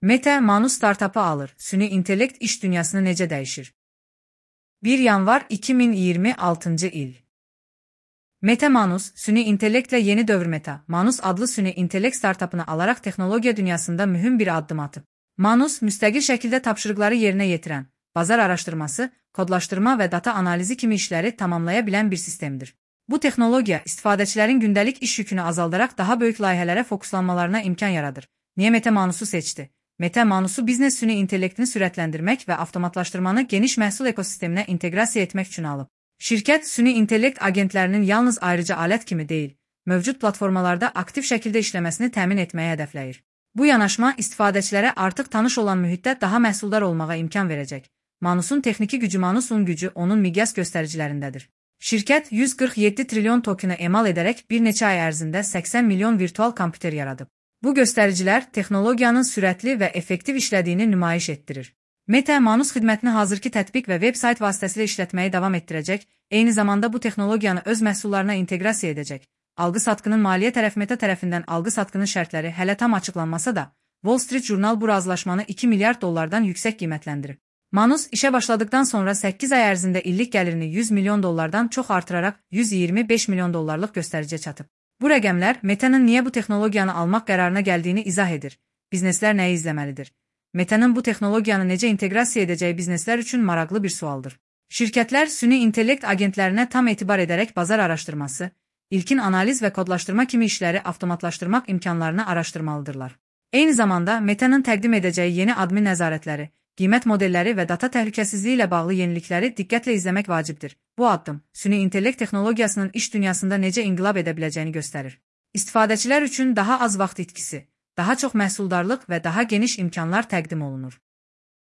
Meta, Manus startapı alır. Süni intellekt iş dünyasını necə dəyişir? 1 yanvar 2026 il. Meta Manus, süni intellektlə yeni dövr Meta, Manus adlı süni intellekt startapını alaraq texnologiya dünyasında mühüm bir addım atıb. Manus, müstəqil şəkildə tapşırıqları yerinə yetirən, bazar araşdırması, kodlaşdırma və data analizi kimi işləri tamamlaya bilən bir sistemdir. Bu texnologiya istifadəçilərin gündəlik iş yükünü azaldaraq daha böyük layihələrə fokuslanmalarına imkan yaradır. Niyə Meta Manus'u seçdi? Meta Manus'u biznes süni intellektini sürətləndirmək və avtomatlaşdırmanı geniş məhsul ekosisteminə inteqrasiya etmək üçün alıb. Şirkət, süni intellekt agentlərinin yalnız ayrıca alət kimi deyil, mövcud platformalarda aktiv şəkildə işləməsini təmin etməyə hədəfləyir. Bu yanaşma istifadəçilərə artıq tanış olan mühitdə daha məhsuldar olmağa imkan verəcək. Manus'un texniki gücü Manus'un gücü onun miqyas göstəricilərindədir. Şirkət 147 trilyon tokeni emal edərək bir neçə ay ərzində 80 milyon virtual kompüter yaradıb. Bu göstəricilər texnologiyanın sürətli və effektiv işlədiyini nümayiş etdirir. Meta, Manus xidmətini hazırki tətbiq və veb-sayt vasitəsilə işlətməyi davam etdirəcək, eyni zamanda bu texnologiyanı öz məhsullarına inteqrasiya edəcək. Alqı-satqının maliyyə tərəfi Meta tərəfindən alqı-satqının şərtləri hələ tam açıqlanmasa da, Wall Street Journal bu razılaşmanı 2 milyard dollardan yüksək qiymətləndirib. Manus işə başladıqdan sonra 8 ay ərzində illik gəlirini 100 milyon dollardan çox artıraraq 125 milyon dollarlıq göstəriciyə çatıb. Bu rəqəmlər Meta'nın niyə bu texnologiyanı almaq qərarına gəldiyini izah edir. Bizneslər nəyi izləməlidir? Meta'nın bu texnologiyanı necə inteqrasiya edəcəyi bizneslər üçün maraqlı bir sualdır. Şirkətlər süni intellekt agentlərinə tam etibar edərək bazar araşdırması, ilkin analiz və kodlaşdırma kimi işləri avtomatlaşdırmaq imkanlarını araşdırmalıdırlar. Eyni zamanda Meta'nın təqdim edəcəyi yeni admin nəzarətləri, qiymət modelləri və data təhlükəsizliyi ilə bağlı yenilikləri diqqətlə izləmək vacibdir. Bu addım, süni intellekt texnologiyasının iş dünyasında necə inqilab edə biləcəyini göstərir. İstifadəçilər üçün daha az vaxt itkisi, daha çox məhsuldarlıq və daha geniş imkanlar təqdim olunur.